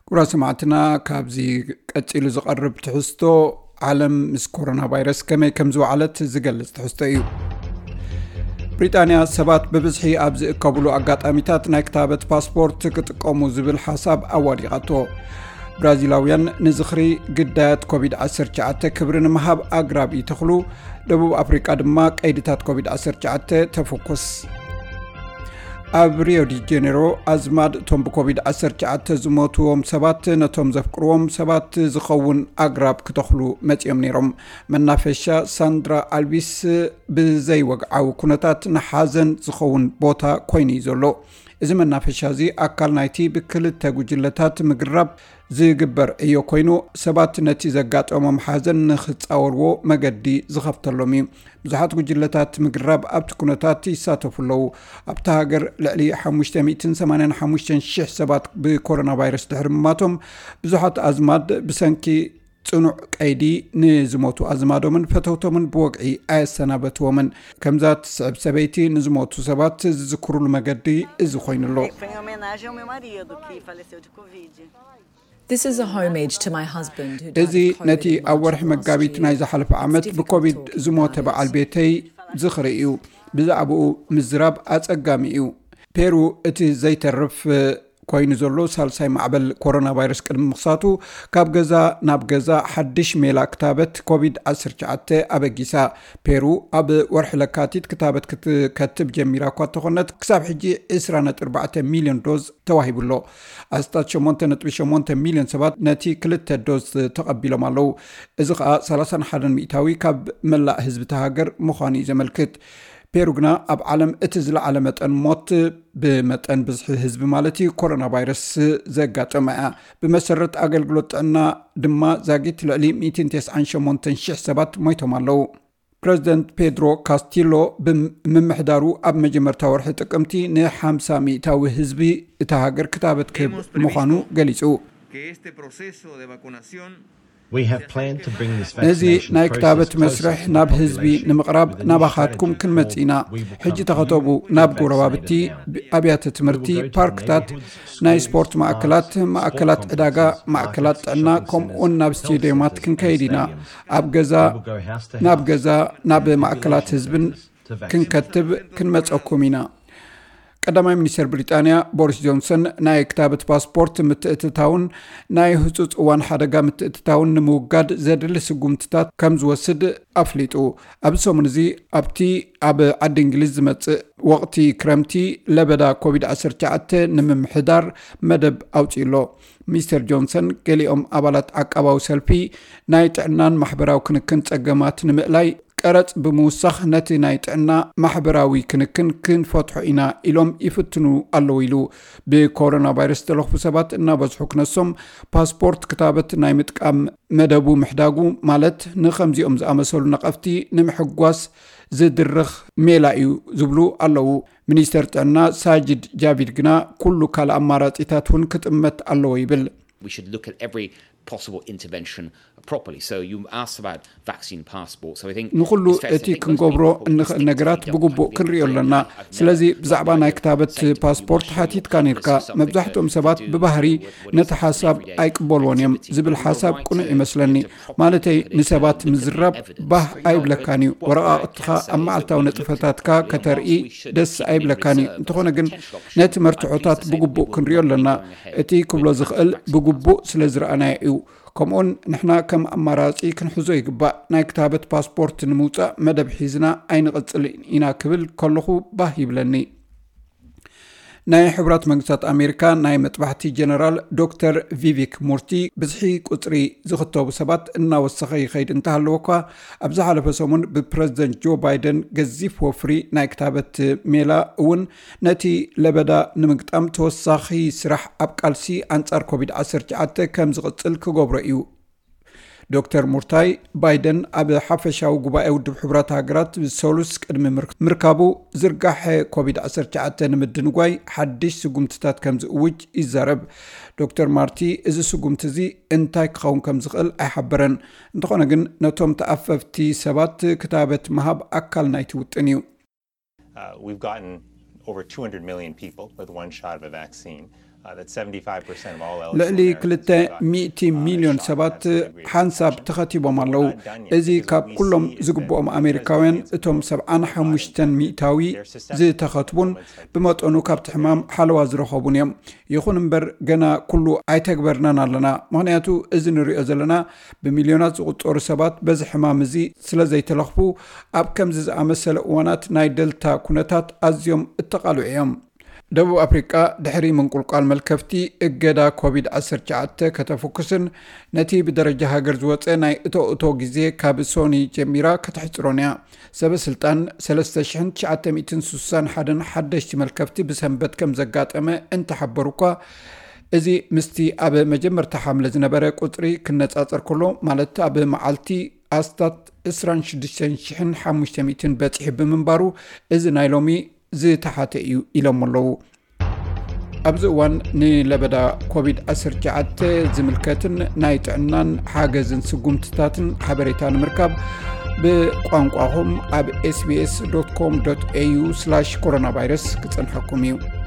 ክቡራት ሰማዕትና፣ ካብዚ ቀጺሉ ዝቐርብ ትሕዝቶ፣ ዓለም ምስ ኮሮና ቫይረስ ከመይ ከም ዝወዓለት ዝገልጽ ትሕዝቶ እዩ። ብሪጣንያ ሰባት ብብዝሒ ኣብ ዝእከብሉ ኣጋጣሚታት ናይ ክታበት ፓስፖርት ክጥቀሙ ዝብል ሓሳብ ኣዋዲቓቶ። ብራዚላውያን ንዝኽሪ ግዳያት ኮቪድ ዓሰርተ ትሽዓተ ክብሪ ንምሃብ ኣግራብ ይተኽሉ። ደቡብ ኣፍሪቃ ድማ ቀይድታት ኮቪድ ዓሰርተ ትሽዓተ ተፈኩስ። ኣብ ሪዮ ዲ ጀኔሮ ኣዝማድ እቶም ብኮቪድ ዓሰርተ ትሽዓተ ዝሞትዎም ሰባት ነቶም ዘፍቅርዎም ሰባት ዝኸውን ኣግራብ ክተኽሉ መጺኦም ነይሮም። መናፈሻ ሳንድራ ኣልቢስ ብዘይወግዓዊ ኩነታት ንሓዘን ዝኸውን ቦታ ኮይኑ እዩ ዘሎ። እዚ መናፈሻ እዚ ኣካል ናይቲ ብክልተ ጉጅለታት ምግራብ ዝግበር ዕዮ ኮይኑ፣ ሰባት ነቲ ዘጋጠሞም ሓዘን ንኽጻወርዎ መገዲ ዝኸፍተሎም እዩ። ብዙሓት ጉጅለታት ምግራብ ኣብቲ ኩነታት ይሳተፉ ኣለዉ። ኣብታ ሃገር ልዕሊ ሓሙሽተ ሚእትን ሰማንያን ሓሙሽተን ሽሕ ሰባት ብኮሮና ቫይረስ ድሕሪ ምማቶም፣ ብዙሓት ኣዝማድ ብሰንኪ ጽኑዕ ቀይዲ ንዝሞቱ ኣዝማዶምን ፈተውቶምን ብወግዒ ኣየሰናበትዎምን። ከምዛ ትስዕብ ሰበይቲ ንዝሞቱ ሰባት ዝዝክሩሉ መገዲ እዚ ኮይኑ ኣሎ። Foi em homenagem ao meu marido, que faleceu de Covid. This is a homage to my husband, who died እዚ of COVID ነቲ in ኣብ March ወርሒ of last መጋቢት year. ናይ ዝሓለፈ ዓመት It's difficult ብኮቪድ talking ዝሞተ about it. በዓል ቤተይ ዝኽሪ እዩ። ብዛዕባኡ ምዝራብ ኣጸጋሚ እዩ። ፔሩ እቲ ዘይተርፍ ኮይኑ ዘሎ ሳልሳይ ማዕበል ኮሮና ቫይረስ ቅድሚ ምኽሳቱ፣ ካብ ገዛ ናብ ገዛ ሓድሽ ሜላ ክታበት ኮቪድ ዓሰርተ ትሽዓተ ኣበጊሳ። ፔሩ ኣብ ወርሒ ለካቲት ክታበት ክትከትብ ጀሚራ እኳ እንተኾነት፣ ክሳብ ሕጂ ዕስራ ነጥቢ ኣርባዕተ ሚልዮን ዶዝ ተዋሂቡ ኣሎ። ኣስታት ሸሞንተ ነጥቢ ሸሞንተ ሚልዮን ሰባት ነቲ ክልተ ዶዝ ተቐቢሎም ኣለዉ። እዚ ኸኣ ሰላሳን ሓደን ሚእታዊ ካብ መላእ ህዝቢ እታ ሃገር ምዃኑ እዩ ዘመልክት። ፔሩ ግና ኣብ ዓለም እቲ ዝለዓለ መጠን ሞት፣ ብመጠን ብዝሒ ህዝቢ ማለት እዩ፣ ኮሮና ቫይረስ ዘጋጠመ እያ። ብመሰረት ኣገልግሎት ጥዕና ድማ ዛጊት ልዕሊ ሚእትን ተስዓን ሸሞንተን ሽሕ ሰባት ሞይቶም ኣለዉ። ፕረዚደንት ፔድሮ ካስቲሎ ብምምሕዳሩ ኣብ መጀመርታ ወርሒ ጥቅምቲ ንሓምሳ ሚእታዊ ህዝቢ እታ ሃገር ክታበት ክህብ ምዃኑ ገሊጹ። Que este proceso de vacunación We have planned to bring this ነዚ vaccination ናይ process ክታበት closer መስርሕ to the ናብ ህዝቢ population ንምቕራብ with a new ናባኻትኩም strategy ክንመጽእ ኢና። called We Will ሕጂ Come ተኸተቡ። Community. Be ናብ vaccinated ጎረባብቲ፣ now. ኣብያተ ትምህርቲ፣ We will go to the ፓርክታት፣ neighborhoods, ናይ schools, ስፖርት parks, ማእከላት፣ sports ማእከላት ዕዳጋ፣ complexes, ማእከላት markets, ጥዕና፣ shopping ከምኡውን centers, ናብ health ስቴዲየማት centers, ክንከይድ and ኢና። stadiums. ኣብ ገዛ We will go house to ናብ house ገዛ and ናብ population ማእከላት ህዝብን visits to vaccinate. ክንከትብ ክንመጸኩም ኢና። ቀዳማይ ሚኒስትር ብሪጣንያ ቦሪስ ጆንሰን ናይ ክታበት ፓስፖርት ምትእትታውን ናይ ህጹጽ እዋን ሓደጋ ምትእትታውን ንምውጋድ ዘድሊ ስጉምትታት ከም ዝወስድ ኣፍሊጡ። ኣብዚ ሰሙን እዚ ኣብቲ ኣብ ዓዲ እንግሊዝ ዝመጽእ ወቕቲ ክረምቲ ለበዳ ኮቪድ ዓሰርተ ትሽዓተ ንምምሕዳር መደብ ኣውጺኡ ኣሎ። ሚስተር ጆንሰን ገሊኦም ኣባላት ዓቃባዊ ሰልፊ ናይ ጥዕናን ማሕበራዊ ክንክን ጸገማት ንምእላይ ቀረጽ ብምውሳኽ ነቲ ናይ ጥዕና ማሕበራዊ ክንክን ክንፈትሖ ኢና ኢሎም ይፍትኑ ኣለዉ ኢሉ። ብኮሮና ቫይረስ ዝተለኽፉ ሰባት እናበዝሑ ክነሶም ፓስፖርት ክታበት ናይ ምጥቃም መደቡ ምሕዳጉ ማለት ንኸምዚኦም ዝኣመሰሉ ነቐፍቲ ንምሕጓስ ዝድርኽ ሜላ እዩ ዝብሉ ኣለዉ። ሚኒስተር ጥዕና ሳጅድ ጃቪድ ግና ኩሉ ካልእ ኣማራጺታት እውን ክጥመት ኣለዎ ይብል። We should look at every possible intervention properly. So you asked about vaccine passports. So I think ንኹሉ እቲ ክንገብሮ እንኽእል ነገራት ብግቡእ ክንሪኦ ኣለና። ስለዚ ብዛዕባ ናይ ክታበት ፓስፖርት ሓቲትካ ነርካ። መብዛሕትኦም ሰባት ብባህሪ ነቲ ሓሳብ ኣይቅበልዎን እዮም ዝብል ሓሳብ ቅኑዕ ይመስለኒ። ማለተይ ንሰባት ምዝራብ ባህ ኣይብለካን እዩ። ወረቓቕትኻ ኣብ መዓልታዊ ነጥፈታትካ ከተርኢ ደስ ኣይብለካን እዩ። እንተኾነ ግን ነቲ መርትዖታት ብግቡእ ክንሪኦ ኣለና። እቲ ክብሎ ዝኽእል ብግቡእ ስለ ዝረኣናዮ እዩ። ከምኡውን ንሕና ከም ኣማራጺ ክንሕዞ ይግባእ። ናይ ክታበት ፓስፖርት ንምውጻእ መደብ ሒዝና ኣይንቕጽልን ኢና ክብል ከለኹ ባህ ይብለኒ። ናይ ሕቡራት መንግስታት ኣሜሪካ ናይ መጥባሕቲ ጀነራል ዶክተር ቪቪክ ሙርቲ ብዝሒ ቁጽሪ ዝኽተቡ ሰባት እናወሰኸ ይኸይድ እንተሃለወ እኳ ኣብ ዝሓለፈ ሰሙን ብፕረዚደንት ጆ ባይደን ገዚፍ ወፍሪ ናይ ክታበት ሜላ እውን ነቲ ለበዳ ንምግጣም ተወሳኺ ስራሕ ኣብ ቃልሲ ኣንጻር ኮቪድ ዓሰርተ ትሽዓተ ከም ዝቕጽል ክገብሮ እዩ። ዶክተር ሙርታይ ባይደን ኣብ ሓፈሻዊ ጉባኤ ውድብ ሕቡራት ሃገራት ብሰሉስ ቅድሚ ምርካቡ ዝርጋሐ ኮቪድ ዓሰርተ ትሽዓተ ንምድንጓይ ሓድሽ ስጉምትታት ከም ዝእውጅ ይዛረብ። ዶክተር ማርቲ እዚ ስጉምቲ እዚ እንታይ ክኸውን ከም ዝኽእል ኣይሓበረን። እንተኾነ ግን ነቶም ተኣፈፍቲ ሰባት ክታበት ምሃብ ኣካል ናይቲ ውጥን እዩ። Uh, we've gotten over two hundred million people with one shot of a vaccine. ልዕሊ ክልተ ሚእቲ ሚልዮን ሰባት ሓንሳብ ተኸቲቦም ኣለዉ። እዚ ካብ ኩሎም ዝግብኦም ኣሜሪካውያን እቶም ሰብዓን ሓሙሽተን ሚእታዊ ዝተኸትቡን ብመጠኑ ካብቲ ሕማም ሓለዋ ዝረኸቡን እዮም። ይኹን እምበር ገና ኩሉ ኣይተግበርናን ኣለና። ምኽንያቱ እዚ ንሪኦ ዘለና ብሚልዮናት ዝቑጸሩ ሰባት በዚ ሕማም እዚ ስለ ዘይተለኽፉ ኣብ ከምዚ ዝኣመሰለ እዋናት ናይ ደልታ ኩነታት ኣዝዮም እተቓልዑ እዮም። ደቡብ ኣፍሪቃ ድሕሪ ምንቁልቋል መልከፍቲ እገዳ ኮቪድ ዓሰርተ ትሽዓተ ከተፍኩስን ነቲ ብደረጃ ሃገር ዝወጸ ናይ እቶ እቶ ግዜ ካብ ሶኒ ጀሚራ ከተሕጽሮን እያ። ሰበ ስልጣን ሰለስተ ሽሕን ትሽዓተ ሚእትን ስሳን ሓደን ሓደሽቲ መልከፍቲ ብሰንበት ከም ዘጋጠመ እንተሓበሩ እኳ፣ እዚ ምስቲ ኣብ መጀመርታ ሓምለ ዝነበረ ቁጽሪ ክነጻጸር ከሎ፣ ማለት ኣብ መዓልቲ ኣስታት ዕስራን ሽዱሽተን ሽሕን ሓሙሽተ ሚእትን በጺሑ ብምንባሩ፣ እዚ ናይ ሎሚ ዝተሓተ እዩ ኢሎም ኣለዉ። ኣብዚ እዋን ንለበዳ ኮቪድ ዓሰርተ ትሽዓተ ዝምልከትን ናይ ጥዕናን ሓገዝን ስጉምትታትን ሓበሬታ ንምርካብ ብቋንቋኹም ኣብ ኤስቢኤስ ዶት ኮም ዶት ኤዩ ስላሽ ኮሮና ቫይረስ ክጸንሐኩም እዩ።